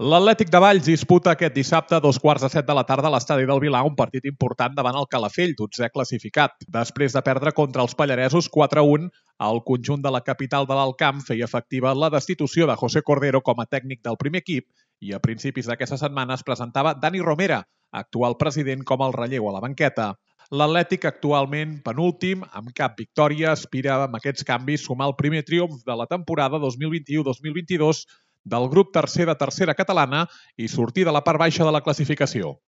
L'Atlètic de Valls disputa aquest dissabte a 2:15 de la tarda a l'estadi del Vilar un partit important davant el Calafell, 12è classificat. Després de perdre contra els pallaresos 4-1, el conjunt de la capital de l'Alt Camp feia efectiva la destitució de José Cordero com a tècnic del primer equip i a principis d'aquesta setmana es presentava Dani Romera, actual president, com el relleu a la banqueta. L'Atlètic, actualment penúltim, amb cap victòria, aspira amb aquests canvis sumar el primer triomf de la temporada 2021-2022 del grup tercer de tercera catalana i sortir de la part baixa de la classificació.